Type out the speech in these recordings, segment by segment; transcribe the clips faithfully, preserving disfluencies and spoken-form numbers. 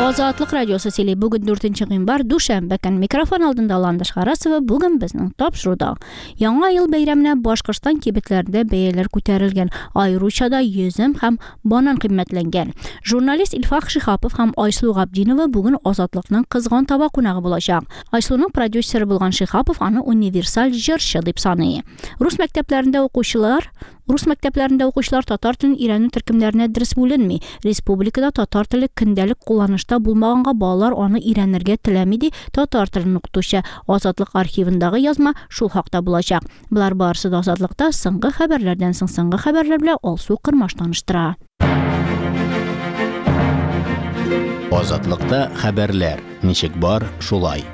Азатлык радиосы сөйли. Бүген дүртенче гыйнвар, дүшәмбе көн. Микрофон алдында Ландыш Харасова. Бүген безнең тапшыруда Яңа ел бәйрәменә Башкортстан кибетләрендә бәяләр күтәрелгән, аеруча да йөзем һәм банан кыйммәтләнгән. Журналист Илфак Шиһапов һәм Айсылу Габдинова бүген Азатлыкның кызган таба кунагы булачак. Айсылуның продюсеры булган Шиһапов аны универсаль җырчы дип саный. Рус мәктәпләрендә укучылар Рус мәктәпләрендә укучылар татар телен өйрәнү төркемнәренә дөрес бүленми. Республикада татар теле көндәлек кулланышта булмаганга балалар аны өйрәнергә теләми, ди татар телен укытучы. Азатлык архивындагы язма шул хакта булачак. Болар барысы да Азатлыкта соңгы хәбәрләрдән соң. Соңгы хәбәрләр белән Алсу Кырмаш таныштыра. Азатлыкта хәбәрләр ничек бар, шулай.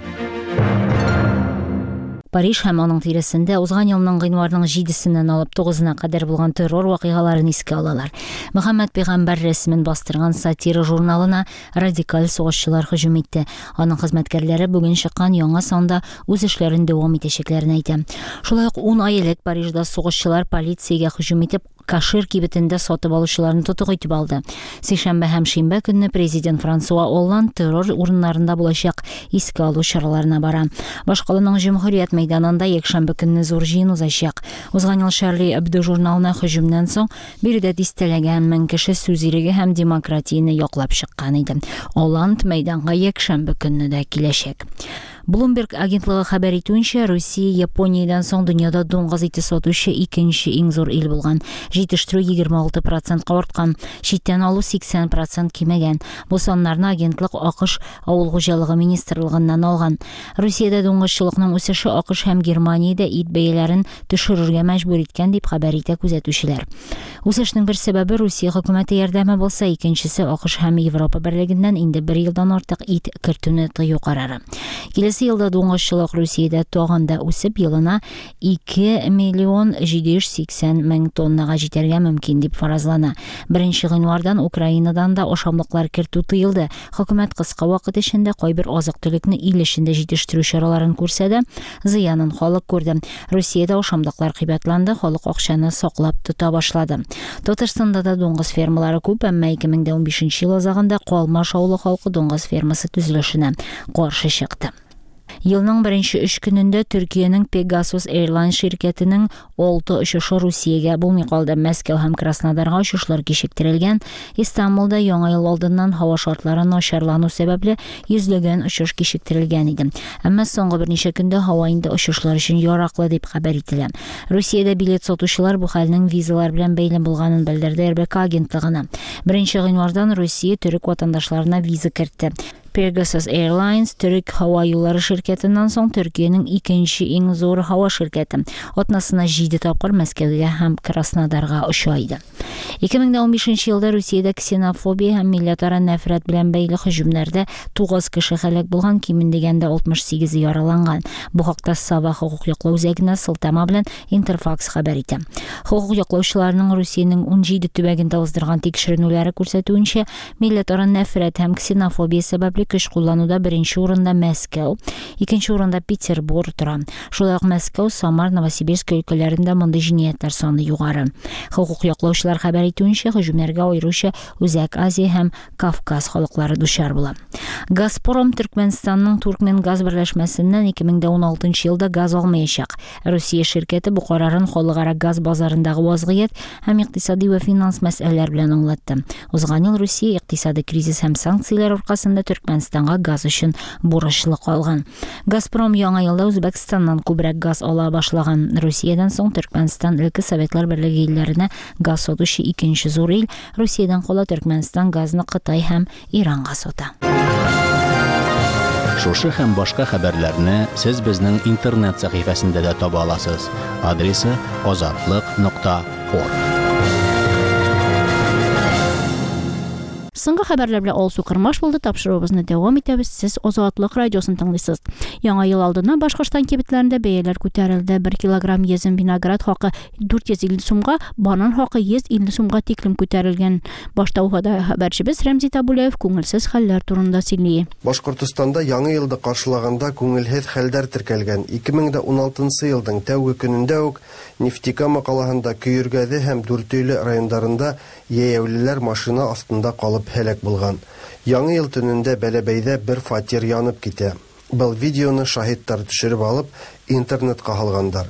Париж һәм аның тирәсендә узган елның гыйнварның җидесеннән алып тугызына кадәр булган террор вакыйгаларын искә алалар. Мөхәммәд пәйгамбәр рәсемен бастырган сатира журналына радикаль сугышчылар һөҗүм итте. Аның хезмәткәрләре бүген чыккан яңа санда үз эшләрен дәвам итәчәкләрен әйтә. Шулай ук ун ай элек Парижда сугышчылар полициягә һөҗүм итеп Кашир кибетендә сатып алучыларны тотык итеп алды. Сишәмбе һәм шимбә көнне президент Франсуа Олланд террор урыннарында булачак искә алу чараларына бара. Башкаланың Җөмһүрият мәйданында якшәмбе көнне зур җыен узачак. Узган ел Шарли Эбдо журналына һөҗүмнән соң биредә дистәләгән мең кеше сүз иреге һәм демократияне яклап чыккан иде. Олланд мәйданга якшәмбе көнне дә киләчәк. Bloomberg агентлыгы хәбәр итүенчә, Русия Япониядән соң дөньяда дуңгыз ите сатучы икенче иң зур ил булган. Җитештерү егерме алты процентка арткан, читтән алу сиксән процент кимегән. Бу саннарны агентлык АКШ Авыл хуҗалыгы министрлыгыннан алган. Русиядә дуңгызчылыкның үсеше АКШ һәм Германиядә ит бәяләрен төшерергә мәҗбүр иткән дип хәбәр итә күзәтүчеләр. Үсешнең бер сәбәбе Русия хөкүмәте ярдәме булса, икенчесе АКШ һәм Европа берлегеннән инде бер елдан артык ит кертүне тыю карары. Киләсе елда дуңгызчылык Русиядә тагын да үсеп, елына ике миллион җиде йөз сиксән мең тоннага җитәргә мөмкин дип фаразлана. Беренче гыйнвардан Украинадан да ашамлыклар кертү тыелды. Хөкүмәт кыска вакыт эчендә кайбер азык-төлекне ил эчендә җитештерү чараларын күрсә дә, зыянын халык күрде. Русиядә ашамлыклар кыйбатланды, халык акчаны саклап тота башлады. Татарстанда да дуңгыз фермалары күп, әмма ике мең дә унбишенче ел азагында Калмаш авылы халкы дуңгыз фермасы төзелешенә каршы чыкты. Елның беренче өч көнендә Төркиянең Pegasus Airlines ширкәтенең алты очышы Русиягә булмый калды. Мәскәү һәм Краснодарга очышлар кичектерелгән. Истанбулда яңа ел алдыннан һава шартлары начарлану сәбәпле йөзләгән очыш кичектерелгән иде. Әмма соңгы берничә көндә һава инде очышлар өчен яраклы дип хәбәр ителә. Русиядә билет сатучылар бу хәлнең визалар белән бәйле булганын белдерде Р Б К агентлыгына. Беренче гыйнвардан Русия төрек ватандашларына виза кертте. Pegasus Airlines төрек һава юллары ширкәтеннән соң Төркиянең икенче иң зур һава ширкәте. Атнасына җиде тапкыр Мәскәүгә һәм Краснодарга оча иде. Ике мең дә унбишенче елда Русиядә ксенофобия һәм милләтара нәфрәт белән бәйле һөҗүмнәрдә тугыз кеше һәлак булган, кимендә дигәндә алтмыш сигезе яраланган. Бу хакта Сава хокук яклау үзәгенә сылтама белән Интерфакс хәбәр итә. Хокук яклаучыларның Русиянең унҗиде төбәгендә уздырган тикшеренүләре күрсәтүенчә, милләтара нәфрәт һәм ксенофобия сәбәпле көч куллануда беренче урында Мәскәү, икенче урында Петербург тора. Шулай ук Мәскәү, Самар, Новосибирск өлкәләрендә мондый җинаятьләр саны югары. Хокук яклаучылар хәбәр итүенчә, һөҗүмнәргә аеруча Үзәк Азия һәм Кавказ халыклары дучар була. Газпром Төркмәнстанның Туркменгаз берләшмәсеннән ике мең дә уналтынчы елда газ алмаячак. Русия ширкәте бу карарын халыкара газ базарындагы вазгыять һәм икътисади ва финанс мәсьәләләр белән аңлатты. Узган ел Русия икътисади кризис һәм санкцияләр аркасында Төркмәнстанга газ өчен бурычлы калган. Газпром яңа елда Үзбәкстаннан күбрәк газ ала башлаган. Русиядән соң Төркмәнстан элекке Советлар Берлеге илләренә газ сатучы икенче зур ил. Русиядән кала Төркмәнстан газны Кытай һәм Иранга сата. Шушы һәм башка хәбәрләрне сез безнең интернет сәхифәсендә дә таба аласыз. Адресы азатлык нокта орг. Соңгы хәбәрләр белән Алсу Кырмаш булды. Тапшыруыбызны дәвам итәбез. Сез Азатлык радиосын тыңлыйсыз. Яңа ел алдыннан Башкортстан кибетләрендә бәяләр күтәрелде. Бер килограмм йөзем виноград хакы дүрт йөз илле сумга, банан хакы йөз илле сумга тиклем күтәрелгән. Башта Уфада хәбәрчебез Рәмзи Табулаев күңелсез хәлләр турында сөйли. Башкортстанда яңа елды каршылаганда күңелһез хәлләр теркәлгән. Ике мең дә уналтынчы елдың тәүге көнендә үк Нефтекама калаһында Көйөргәде һәм Дүртөйле районнарында йәяүлеләр машина астында калып һәлак булган. Яңы ел төнендә Бәләбәйдә бер фатир янып китә. Был видеоны шаһиттар төшереп алып, интернетка һалгандар.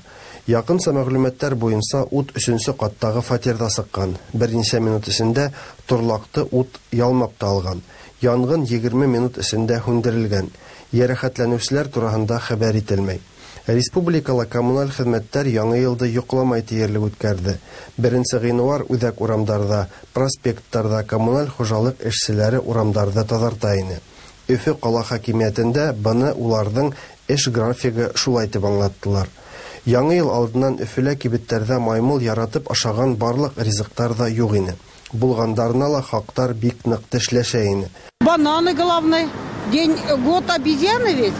Якынса мәгълүматлар буенча ут өченче каттагы фатирда сыккан. Берничә минут эчендә торлакты ут ялмап та алган. Янгын егерме минут эчендә һүндерелгән. Йәрәхәтләнүчеләр тураһында хәбәр ителмәй. Республикала коммуналь хеҙмәттәр яңы йылды йоҡламай тиерлек үткәрҙе. Беренсе ғинуар үҙәк урамдарҙа, проспекттарҙа коммуналь хужалыҡ эшселәре урамдарҙы таҙарта ине. Өфө ҡала хакимиәтендә быны уларҙың эш графигы шулай тип аңлаттылар. Яңы йыл алдынан Өфөлә кибеттәрҙә маймыл яратып ашаған барлыҡ ризыҡтар ҙа юҡ ине. Булғандарына ла хаҡтар бик ныҡ тешләшә ине. Бананы главное. День год обезьяны ведь.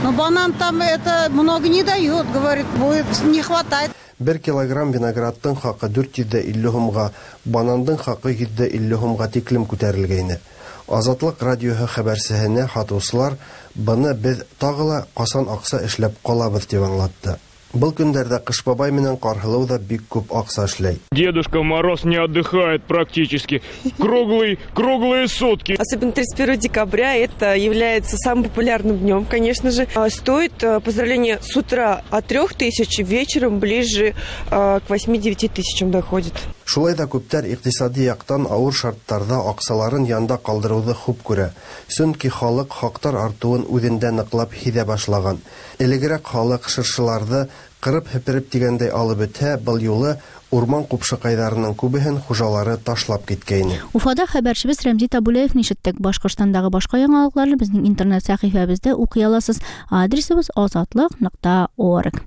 Но банан там это много не дает, говорит, будет не хватает. Бер килограмм виноградтың хаҡы дүрт йөҙ илле һумға, банандың хаҡы йөҙ илле һумға тиклем күтәрелгәйне. Азатлыҡ радиоһы хәбәрсеһенә һатыусылар быны беҙ тағы ла ҡасан аҡса эшләп ҡалабыҙ тип аңлатты. Был көндәрҙә Ҡыш бабай менән Ҡарһылыу ҙа бик күп аҡса эшләй. Дедушка Мороз не отдыхает практически. Круглый, круглые сутки. Особенно тридцать первого декабря это является самым популярным днем, конечно же. Стоит поздравление с утра от трёх тысяч, вечером ближе к восьми-девяти тысячам доходит. Шулай да күптәр иҡтисади яҡтан ауыр шарттарҙа аҡсаларын янда ҡалдырыуҙы хуп күрә. Сөнки халыҡ хаҡтар артыуын үҙендә ныҡлап һиҙә башлаған. Элегерәк халыҡ шыршыларҙы ҡырып һепереп тигәндәй алып бөтһә, был юлы урман ҡупшыҡайҙарының күбеһен хужалары ташлап киткәйне. Уфада хәбәрсебеҙ Рәмзи Табулаевны ишеттек. Башҡортостандағы башҡа яңалыҡларны беҙҙең интернет сәхифәбеҙҙә уҡый аласыз. Адресыбыҙ азатлыҡ нуҡта орг.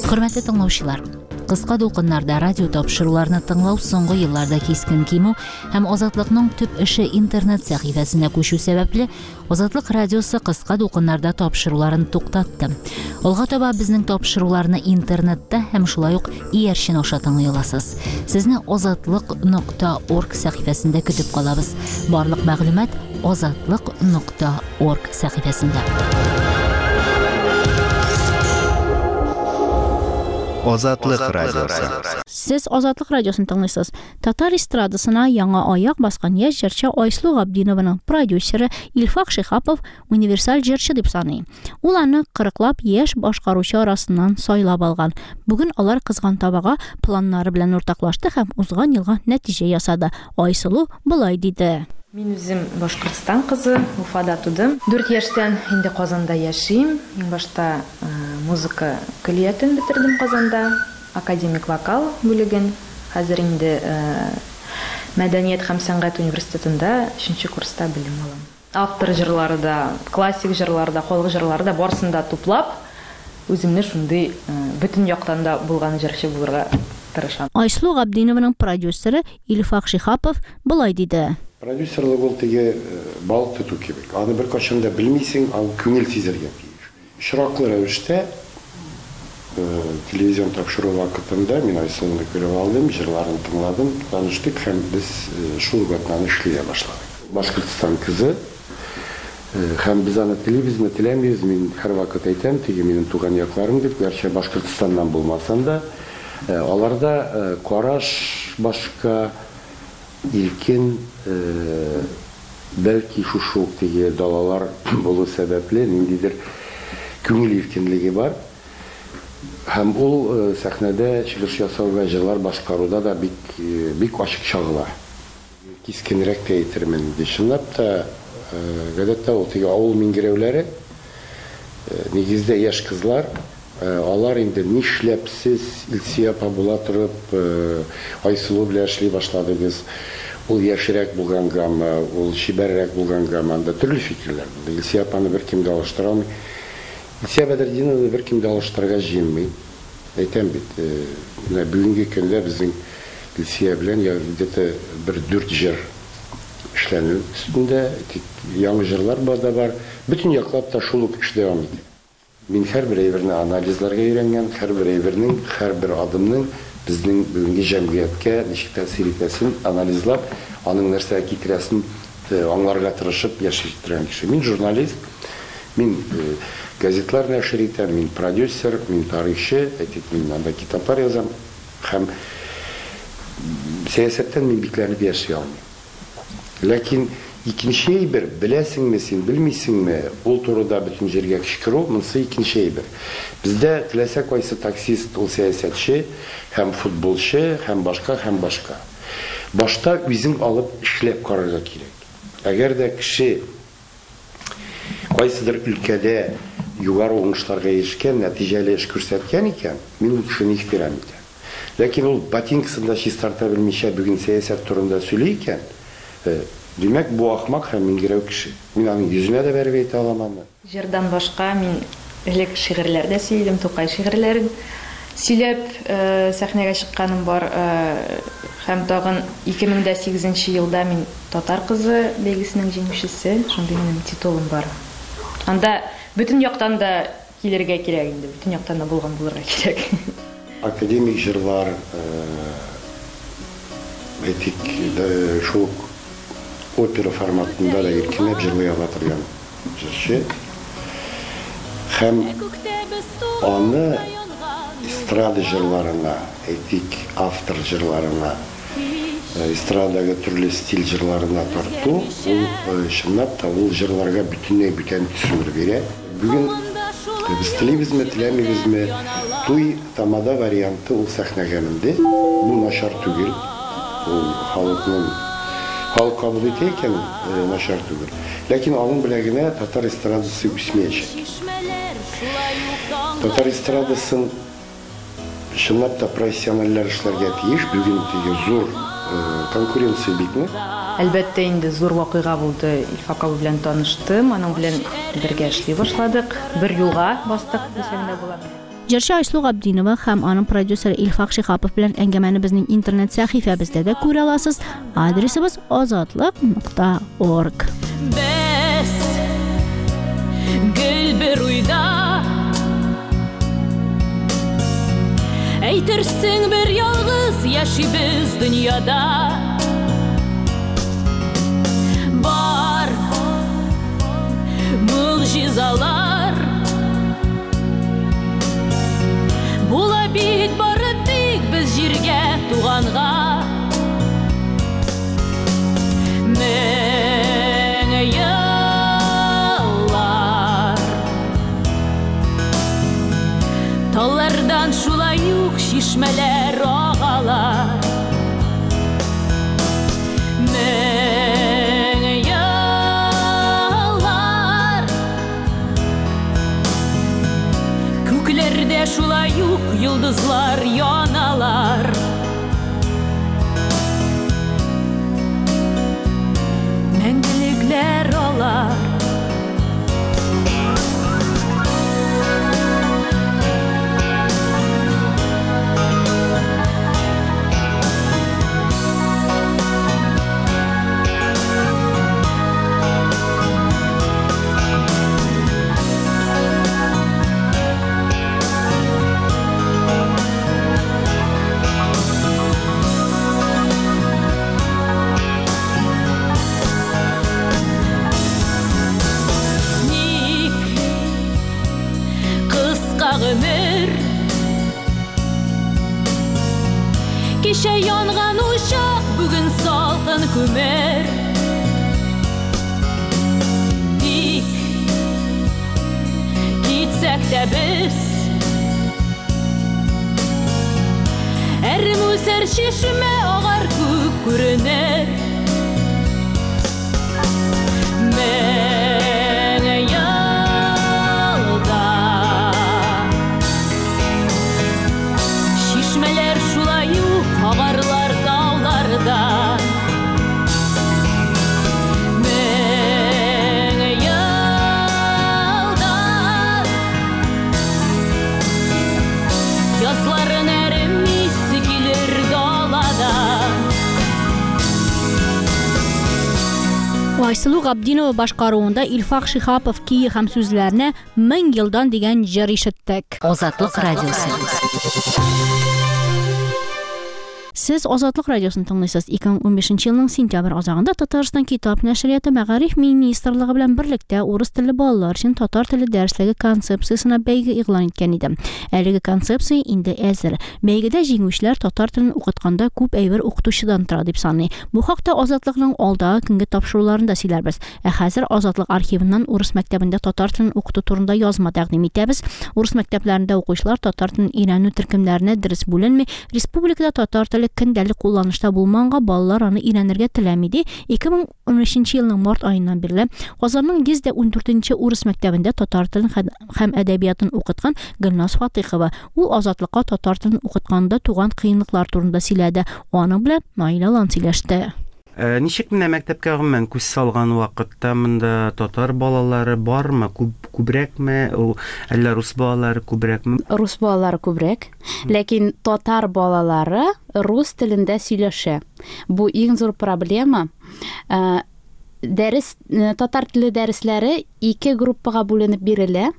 Хөрмәтле тыңлаучылар, кыска дулкыннарда радио тапшыруларны тыңлау соңгы елларда кискен кимү һәм Азатлыкның төп эше интернет сәхифәсенә күчү сәбәпле, Азатлык радиосы кыска дулкыннарда тапшыруларын туктатты. Алга таба безнең тапшыруларны интернетта һәм шулай ук иярчен аша тыңлый аласыз. Сезне азатлык нокта орг сәхифәсендә көтеп калабыз. Барлык мәгълүмат азатлык нокта орг сәхифәсендә. Азатлык радиосы. Сез Азатлык радиосын тыңлыйсыз. Татар эстрадасына яңа аяк баскан яшь җырчы Айсылу Габдинованың продюсеры Илфак Шихапов универсаль җырчы дип саный. Ул аны кырыклап яшь башкаручы арасыннан сайлап алган. Бүген алар кызган табага планнары белән уртаклашты һәм узган елга нәтиҗә ясады. Айсылу болай диде. Мин үзем Башкортстан кызы, Уфада тудым. Дүрт яшьтән инде Казанда яшим. Иң башта музыка көллиятен бетердем Казанда, академик вокал бүлеген. Хәзер инде Мәдәният һәм сәнгать университетында өченче курста белем алам. Автор җырлары да, классик җырлары да, халык җырлары да барысын да туплап, үземне шундый бөтен яктан да булган җырчы булырга тырышам. Айсылу Габдинованың продюсеры Илфак Шихапов болай диде. Продюсерлык ул теге балык тоту кебек. Аны бер кайчан да белмисең, аны күңел сизергә тиеш. Очраклы рәвештә телевизион тапшыру вакытында мин Айсылуны күреп алдым, җырларын тыңладым, таныштык һәм без шул вакытнан эшли башладык. Башкортстан кызы һәм без аны телибезме, теләмибез, мин һәрвакыт әйтәм, теге минем туган якларым дип, гәрчә Башкортстаннан булмасам да, аларда караш башка, илкен, бәлки шушы ук теге далалар булу сәбәпле ниндидер күңел иркенлеге бар. Һәм ул сәхнәдә чыгыш ясауга, җырлар башкаруда да бик бик ачык чагыла. Кискенрәк тә әйтермен инде. Чынлап та, гадәттә ул теге авыл миңгерәүләре, нигездә яшь кызлар, алар инде нишләп сез Илсөя апа була торып, Айсылу белән эшли башладыгыз. Ул яшьрәк булгангамы, ул чибәррәк булгангамы, анда төрле фикерләр булды. Илсөя апаны беркем дә алыштыра алмый. Илсөя Бәдретдинованы беркем дә алыштырырга җыенмый. Әйтәм бит, менә бүгенге көндә безнең Илсөя белән где-то бер дүрт җыр эшләнү өстендә, тик яңа җырлар бар да бар. Бөтен яклап та шул ук эш дәвам итә. Мин һәрбер әйберне анализларга өйрәнгән, һәрбер әйбернең, һәрбер адымның безнең бүгенге җәмгыятькә ничек тәэсир итәсен анализлап, аның нәрсәгә китерәсен аңларга тырышып яши торган кеше. Мин журналист, мин газетлар нәшер итәм, мин продюсер, мин тарихчы, әйтик, мин анда китаплар язам һәм сәясәттән мин бикләнеп яши алмыйм. Ләкин икенче әйбер, беләсеңме син, белмисеңме, ул турыда бөтен җиргә кычкыру, монысы икенче әйбер. Бездә теләсә кайсы таксист ул сәясәтче, һәм футболчы, һәм башка, һәм башка. Башта үзең алып эшләп карарга кирәк. Әгәр дә кеше кайсыдыр өлкәдә югары уңышларга ирешкән, нәтиҗәле эш күрсәткән икән, мин ул кешене ихтирам итәм. Ләкин ул ботинкасын да чистарта белмичә бүген сәясәт турында сөйли икән, димәк, бу ахмак һәм миңгерәү кеше. Мин аның йөзенә дә бәреп әйтә алам аны. Җырдан башка мин элек шигырьләр дә сөйлим, Тукай шигырьләрен сөйләп сәхнәгә чыкканым бар. Һәм тагын ике мең дә сигезенче елда мин Татар кызы бәйгесенең җиңүчесе, шундый минем титулым бар. Анда бөтен яктан да килергә кирәк инде, бөтен яктан да булган булырга кирәк. Академик җырлар, әйтик, шул опера форматында да иркенләп җырлый ала торган җырчы. Һәм аны эстрада җырларына, әйтик, автор җырларына, эстрадагы төрле стиль җырларына тарту, ул чынлап та ул җырларга бөтенләй бүтән төсмер бирә. Бүген без телибезме, теләмибезме, туй тамада варианты ул сәхнәгә менде. Бу начар түгел. Ул халыкның халык кабул итә икән, начар түгел. Ләкин аның белән генә татар эстрадасы үсмәячәк. Татар эстрадасын чынлап та профессиональләр эшләргә тиеш. Бүген теге зур конкуренция битме? Әлбәттә, инде зур вакыйга булды. Илфак абый белән таныштым, аның белән бергә эшли башладык. Бер юлга бастык дисәң дә була. Җырчы Айсылу Габдинова һәм аның продюсеры Илфак Шиһапов белән әңгәмәне безнең интернет сәхифәбездә дә күрә аласыз. Адресыбыз азатлык нокта орг. Без гел бер уйда, әйтерсең бер ялгыз яшибез дөньяда. Бар могҗизалар була бит бары тик без җиргә туганга. Мең еллар таллардан шулай ук чишмәләр агалар. Мең еллар күкләрдә шулай ук йолдызлар яналар. Мәңгелекләр алар. Кичә янган учак, бүген салкын күмер. Тик китсәк тә без, әрем үсәр чишмә агар күк күренер. Мең елда чишмәләр шулай ук агарлар тауларда. Мең елда язларын әрем исе килер далада. Айсылу Габдинова башкаруында Илфак Шиһапов көе һәм сүзләренә Мең елдан дигән җыр ишеттек. Азатлык радиосы. Сез Азатлык радиосын тыңлыйсыз. ике мең унбишенче елның сентябрь азагында Татарстан китап нәшрияты Мәгариф министрлыгы белән берлектә урыс телле балалар өчен татар теле дәреслеге концепциясенә бәйге игълан иткән иде. Әлеге концепция инде әзер. Бәйгедә җиңүчеләр татар телен укытканда күп әйбер укытучыдан тора дип саный. Бу хакта Азатлыкның алдагы көнге тапшыруларында сөйләрбез. Ә хәзер Азатлык архивыннан урыс мәктәбендә татар телен укыту турында язма тәкъдим итәбез. Урыс мәктәпләрендә укучылар татар телен өйрәнү төркемнәренә дөрес бүленми. Республикада татар теле көндәлек кулланышта булманга балалар аны өйрәнергә теләми ди. ике мең унөченче елның март аеннан бирле Казанның йөз дә ундүртенче урыс мәктәбендә татар телен һәм әдәбиятын укыткан Гөлназ Фатыйхова. Ул Азатлыкка татар телен укытканда туган кыенлыклар турында сөйләде. Аның белән Наилә Лан сөйләште. Ничек менә мәктәпкә гомумән күз салган вакытта монда татар балалары бармы, күп, күбрәкме, әллә рус балалары күбрәкме? Рус балалары күбрәк, ләкин татар балалары рус телендә сөйләшә. Бу иң зур проблема. Дәрес, татар теле дәресләре ике группага бүленеп бирелә.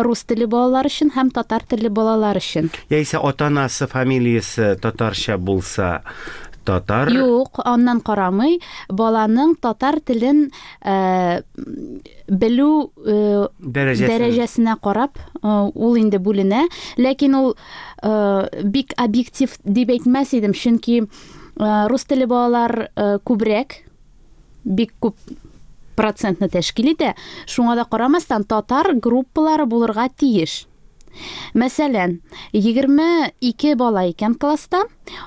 Рус теле балалар өчен һәм татар теле балалар өчен. Яисә ата-анасы фамилиясе татарча булса, татар? Юк, аннан карамый. Баланың татар телен э, белү э, дәрәҗәсенә карап, э, ул инде бүленә. Ләкин ул э, бик объектив дип әйтмәс идем, чөнки э, рус теле балалар э, күбрәк, бик күп процентны тәшкил итә. Шуңа да карамастан татар группалары булырга тиеш. Мәсәлән, егерме ике бала икән класста,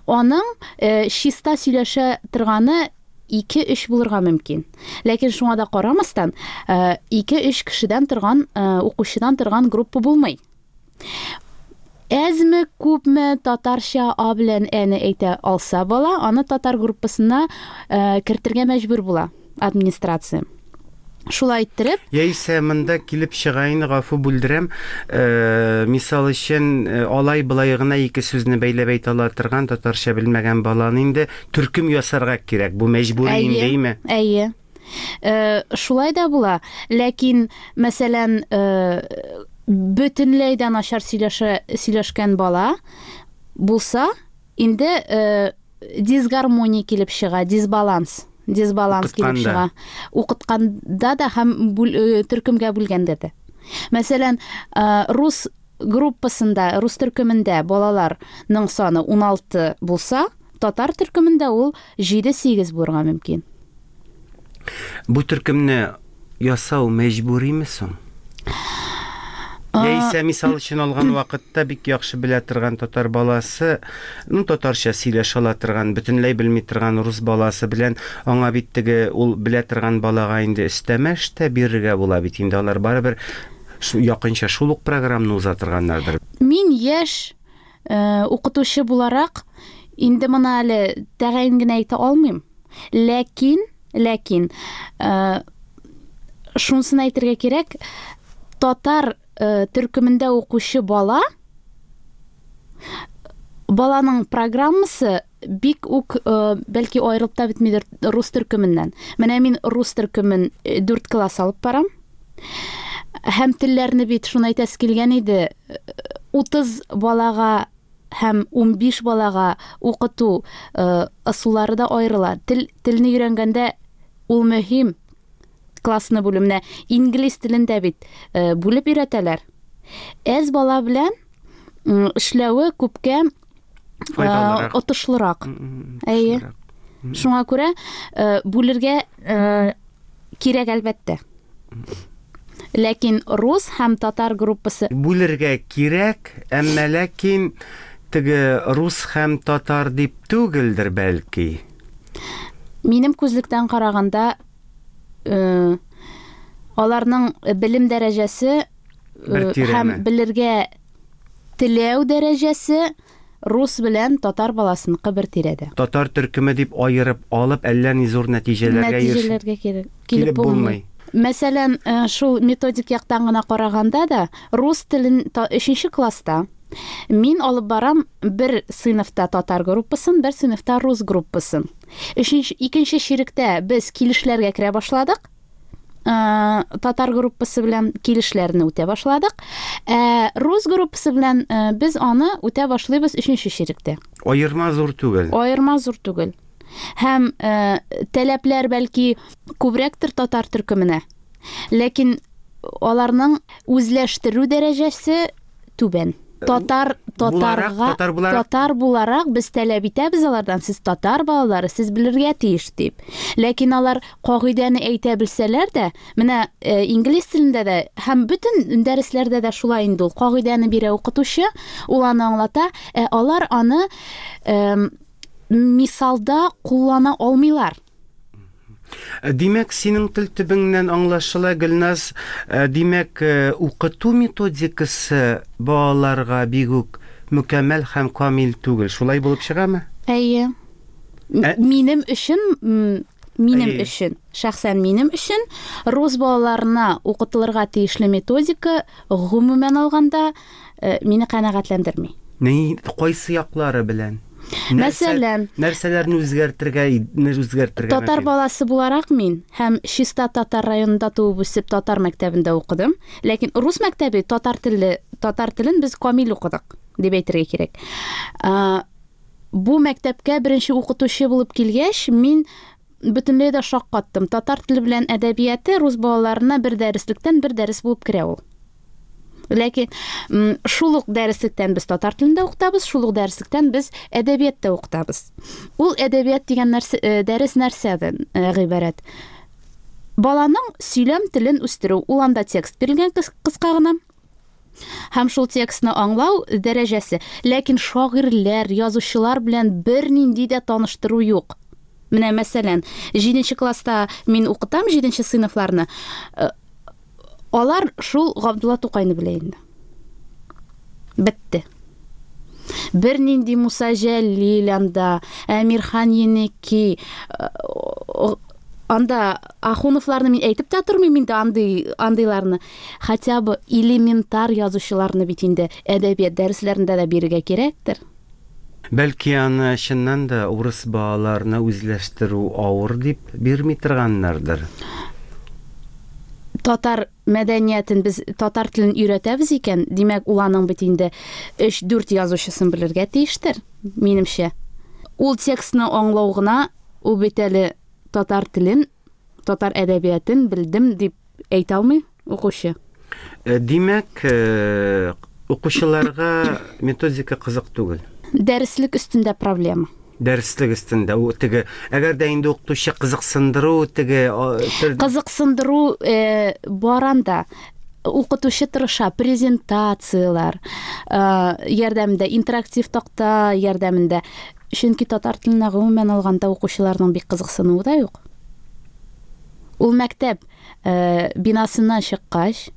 аның э, чиста сөйләшә торганы ике-өч булырга мөмкин. Ләкин шуңа да карамастан, э, ике-өч кешедән торган, э, укучыдан торган группа булмый. Әзме, күпме татарча А белән Әне әйтә алса бала, аны татар группасына э, кертергә мәҗбүр була администрация. Шулай иттереп. Яисә монда килеп чыгайын, гафу бүлдерәм. Э, мисал өчен, алай былай гына ике сүзне бәйләп әйтә ала торган татарча белмәгән баланы инде төркем ясарга кирәк. Бу мәҗбүри инде, әйме? Әйе. Э, шулай да була. Ләкин, мәсәлән, э, бөтенләй дә начар сөйләшә, сөйләшкән бала булса, инде э, дисгармония килеп чыга, дисбаланс. Дисбаланс килеп чыга. Укытканда да һәм төркемгә бүлгәндә дә. Мәсәлән, рус группасында, рус төркемендә балаларның саны уналты булса, татар төркемендә ул җиде-сигез булырга мөмкин. Бу төркемне ясау мәҗбүриме соң? Яисә мисал өчен алган вакытта бик яхшы белә торган татар баласы, ну татарча сөйләшә ала торган, бөтенләй белми торган рус баласы белән аңа бит теге ул белә торган балага инде өстәмә эш тә бирергә була бит инде, алар барыбер якынча шул ук программаны уза торганнардыр. Мин яшь э, укытучы буларак инде моны әле тәгаен генә әйтә алмыйм. Ләкин, ләкин э, шунысын әйтергә кирәк, татар төркемендә укучы бала, баланың программасы бик үк бәлки аерылып та бетмидер рус төркеменнән. Менә мин рус төркемен дүрт класс алып барам. Һәм телләрне бит шуны әйтәсе килгән иде, утыз балага һәм унбиш балага укыту ысуллары да аерыла. Тел, телне өйрәнгәндә ул мөһим. Классны бүлү. Менә инглиз телендә бит бүлеп өйрәтәләр. Әз бала белән эшләве күпкә отышлырак. Әйе. Шуңа күрә бүлергә кирәк әлбәттә. Ләкин рус һәм татар группасы бүлергә кирәк, әмма ләкин теге рус һәм татар дип түгелдер бәлки. Минем күзлектән караганда, Э, аларның белем дәрәҗәсе һәм белергә теләү дәрәҗәсе рус белән татар баласыныкы бер тирәдә. Татар төркеме дип аерып алып, әллә ни зур нәтиҗәләргә нәтиҗәләргә кирәк килеп булмый. Мәсәлән, шул методик яктан гына караганда да, рус телен өченче класста мин алып барам бер сыйныфта татар группасын, бер сыйныфта рус группасын. Өченче, икенче чиректә без килешләргә керә башладык. Татар группасы белән килешләрне үтә башладык. Ә рус группасы белән без аны үтә башлыйбыз өченче чиректә. Аерма зур түгел. Аерма зур түгел. Һәм таләпләр бәлки күбрәктер татар төркеменә. Ләкин аларның үзләштерү дәрәҗәсе түбән. Татар татарга татар буларак, татар буларак без таләп итәбез алардан, сез татар балалары, сез белергә тиеш дип. Ләкин алар кагыйдәне әйтә белсәләр дә, менә инглиз телендә дә һәм бөтен дәресләрдә дә шулай инде ул кагыйдәне бирә укытучы, ул аны аңлата, ә алар аны э, мисалда куллана алмыйлар. Димәк, синең тел төбеңнән аңлашыла, Гөлназ, димәк, укыту методикасы балаларга бик үк мөкәммәл һәм камил түгел. Шулай булып чыгамы? Әйе. Минем өчен, минем өчен, шәхсән минем өчен рус балаларына укытылырга тиешле методика гомумән алганда мине канәгатьләндерми. Ни, кайсы яклары белән? Мәсәлән, нәрсәләрне үзгәртергә, үзгәртергә татар баласы буларак мин һәм чиста татар районында туып үсеп татар мәктәбендә укыдым, ләкин рус мәктәбе татар телле, татар телен без камил укыдык дип әйтергә кирәк. Бу мәктәпкә беренче укытучы булып килгәч, мин бөтенләй дә шаккаттым. Татар теле белән әдәбияты рус балаларына бер дәреслектән бер дәрес булып керә ул. Ләкин шул ук дәреслектән без татар телендә укытабыз, шул ук дәреслектән без әдәбиятта укытабыз. Ул әдәбият дигән нәрсә, дәрес нәрсәдән гыйбарәт? Баланың сөйләм телен үстерү. Ул анда текст бирелгән кыска гына. Һәм шул текстны аңлау дәрәҗәсе. Ләкин шагыйрьләр, язучылар белән бернинди дә таныштыру юк. Менә мәсәлән, җиденче класста мин укытам җиденче сыйныфларны. Алар шул Габдулла Тукайны белә инде. Бетте. Бернинди Муса Җәлил анда, Әмирхан Еники, анда Ахуновларны мин әйтеп тә тормыйм инде андый андыйларны. Хотя бы элементар язучыларны бит инде әдәбият дәресләрендә дә бирергә кирәктер. Бәлки аны чыннан да урыс балаларны үзләштерү авыр дип бирми торганнардыр. Татар мәдәниятен без татар телен өйрәтәбез икән, димәк, ул аның бит инде өч-дүрт язучысын белергә тиештер, минемчә. Ул текстны аңлау гына, ул бит әле татар телен, татар әдәбиятын белдем дип әйтә алмый укучы. Димәк, укучыларга методика кызык түгел. Дәреслек өстендә проблема. Дәреслек өстендә ул теге, әгәр дә инде укытучы кызыксындыру теге кызыксындыру э, баранда укытучы тырыша презентацияләр э, ярдәмендә, интерактив такта ярдәмендә. Чөнки татар теленә гомумән алганда укучыларның бик кызыксынуы да юк. Ул мәктәп э, бинасыннан чыккач,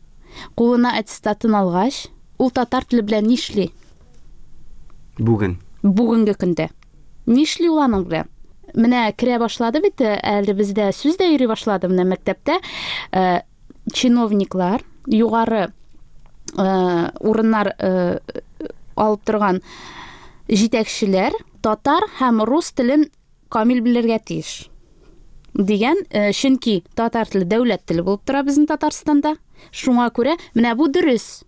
кулына аттестатын алгач, ул татар теле белән нишли? Бүген. Бүгенге көндә. Нишли ул аның белән? Менә керә башлады бит, әле бездә сүз дә йөри башлады менә мәктәптә. Э, чиновниклар, югары э, урыннар э, алып торган җитәкчеләр татар һәм рус телен камил белергә тиеш дигән, э, чөнки татар теле дәүләт теле булып тора безнең Татарстанда. Шуңа күрә менә бу дөрес.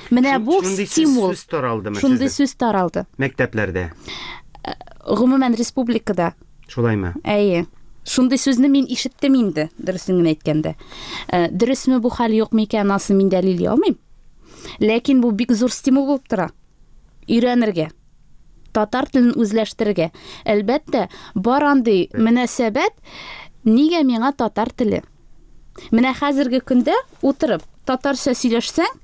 Менә бу стимул. Сүз таралдымы? Шундый сүз таралды. Мәктәпләрдә. Гомумән республикада. Шулаймы? Әйе. Шундый сүзне мин ишеттем инде, дөресен генә әйткәндә. Дөресме бу хәл, юкмы икән, анысын мин дәлилли алмыйм. Ләкин бу бик зур стимул булып тора. Өйрәнергә, татар телен үзләштерергә. Әлбәттә, бар андый мөнәсәбәт, нигә миңа татар теле? Менә хәзерге көндә утырып татарча сөйләшсәң,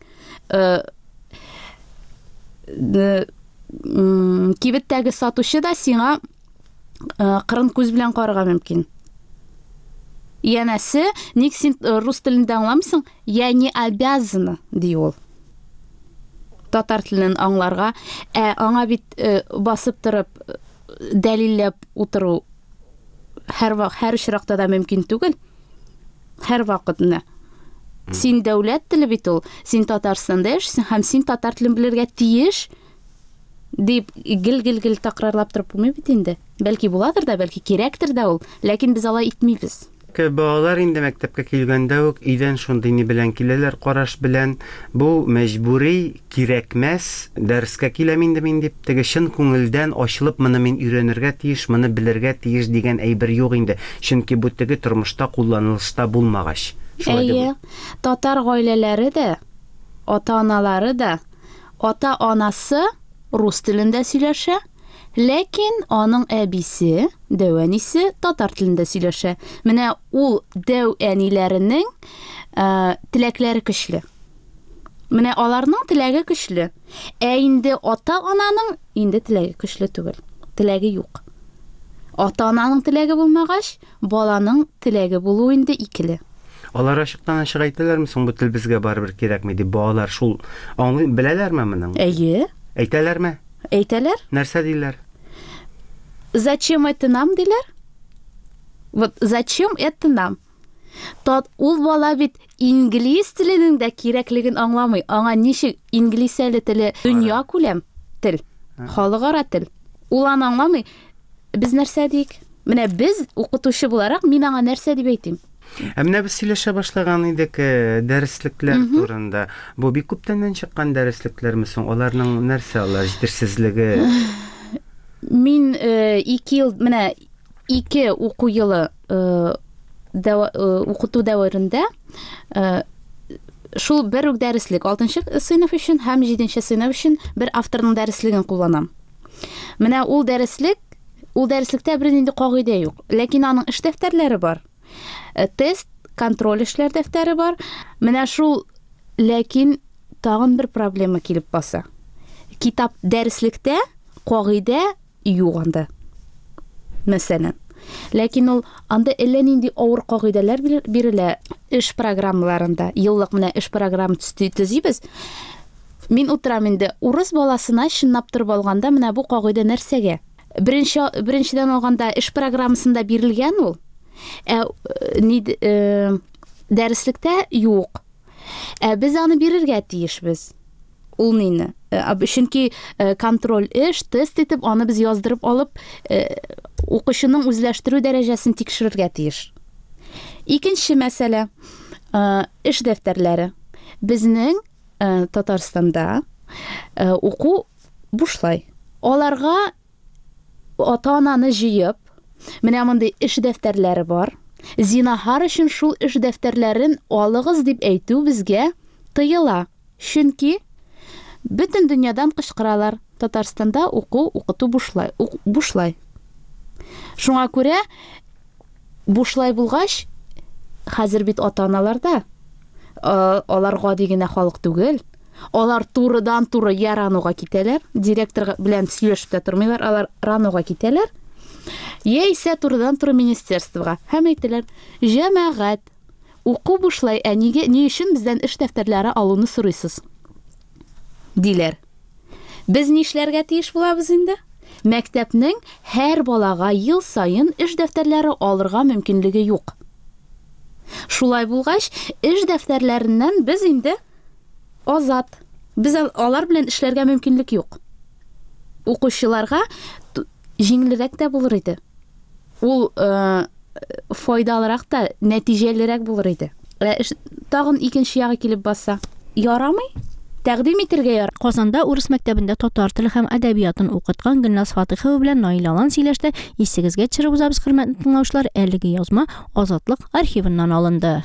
кибеттәге сатучы да сиңа кырын күз белән карарга мөмкин. Янәсе, ник син рус телендә аңламыйсың? Я не обязана, ди ул. Татар телен аңларга, ә аңа бит басып торып дәлилләп утыру һәр һәр очракта да мөмкин түгел. Һәр вакытны. Син дәүләт теле бит ул, син Татарстанда яшисең һәм син татар телен белергә тиеш дип гел-гел-гел такрарлап торып булмый бит инде. Бәлки буладыр да, бәлки кирәктер дә ул, ләкин без алай итмибез. Балалар инде мәктәпкә килгәндә үк өйдән шундый ни белән киләләр, караш белән, бу мәҗбүри, кирәкмәс, дәрескә киләм инде мин дип, теге чын күңелдән ачылып моны мин өйрәнергә тиеш, моны белергә тиеш дигән әйбер юк инде. Чөнки бу теге тормышта кулланылышта булмагач. Әйе, татар гаиләләре дә, ата-аналары да, ата-анасы рус телендә сөйләшә, ләкин аның әбисе, дәү әнисе татар телендә сөйләшә. Менә ул дәү әниләренең ә, теләкләре көчле. Менә аларның теләге көчле. Ә инде ата-ананың инде теләге көчле түгел. Теләге юк. Ата-ананың теләге булмагач, баланың теләге булу инде икеле. Алар ачыктан ачык әйтәләрме соң, бу тел безгә барыбер кирәкми дип? Балалар шул аңлый беләләрме моның? Әйе. Әйтәләрме? Әйтәләр. Нәрсә диләр? Зачем это нам, диләр? Вот зачем это нам? Тат ул бала бит инглиз теленең дә кирәклеген аңламый. Аңа ничек инглиз әле теле дөнья күләм тел, халыкара тел. Ул аны аңламый. Без нәрсә диик? Менә без укытучы буларак мин аңа нәрсә дип әйтим? Ә менә без сөйләшә башлаган идек дәреслекләр турында. Бу бик күптәннән чыккан дәреслекләрме соң? Аларның нәрсә алар җитешсезлеге? Мин ике ел, менә ике уку елы укыту дәверендә шул бер үк дәреслек алтынчы сыйныф өчен һәм җиденче сыйныф өчен бер авторның дәреслеген кулланам. Менә ул дәреслек, ул дәреслектә бернинди кагыйдә юк, ләкин аның эш дәфтәрләре бар. Тест, контроль эшләр дәфтәре бар. Менә шул, ләкин тагын бер проблема килеп баса. Китап дәреслектә кагыйдә юк анда. Мәсәлән, ләкин ул анда әллә нинди авыр кагыйдәләр бирелә эш программаларында. Еллык менә эш программа төзибез. Мин утырам инде урыс баласына чынлап торып алганда менә бу кагыйдә нәрсәгә? Беренче беренчедән алганда эш программасында бирелгән ул. Ә ни дәреслектә юк. Ә без аны бирергә тиешбез. Ул нине? Чөнки контроль эш, тест итеп аны без яздырып алып, укучының үзләштерү дәрәҗәсен тикшерергә тиеш. Икенче мәсьәлә, эш дәфтәрләре. Безнең Татарстанда уку бушлай. Аларга ата-ананы җыеп, менә мондый эш дәфтәрләре бар. Зинаһар өчен шул эш дәфтәрләрен алыгыз дип әйтү безгә тыела. Чөнки бөтен дөньядан кычкыралар. Татарстанда уку, укыту бушлай, бушлай. Шуңа күрә бушлай булгач, хәзер бит ата-аналарда алар гади генә халык түгел. Алар турыдан-туры я РАНОга китәләр, директор белән сөйләшеп тә тормыйлар, алар РАНОга китәләр. Яисә турыдан-туры министерствога һәм әйтәләр: "Җәмәгать, уку бушлай, ә нигә, ни өчен бездән эш дәфтәрләре алуны сорыйсыз?" диләр. Без нишләргә тиеш булабыз инде? Мәктәпнең һәр балага ел саен эш дәфтәрләре алырга мөмкинлеге юк. Шулай булгач, эш дәфтәрләреннән без инде азат. Без алар белән эшләргә мөмкинлек юк. Укучыларга җиңелрәк тә булыр иде. Ул э, файдалырак та, нәтиҗәлерәк булыр иде. Ә тагын икенче ягы килеп баса. Ярамый? Тәкъдим итергә яр. Казанда урыс мәктәбендә татар теле һәм әдәбиятын укыткан Гөлназ Фатыйхова белән Наил Алан сөйләште. Исегезгә төшереп узабыз, хөрмәтле тыңлаучылар, әлеге язма Азатлык архивыннан алынды.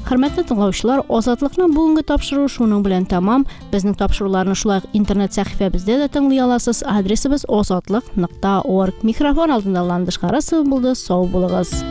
Хөрмәтле тыңлаучылар, Азатлыкның бүгенге тапшыруы шуның белән тамам. Безнең тапшыруларны шулай ук интернет сәхифәбездә дә тыңлый аласыз. Адресыбыз азатлык нокта орг. Микрофон алдында Ландыш Харасова булды. Сау булыгыз.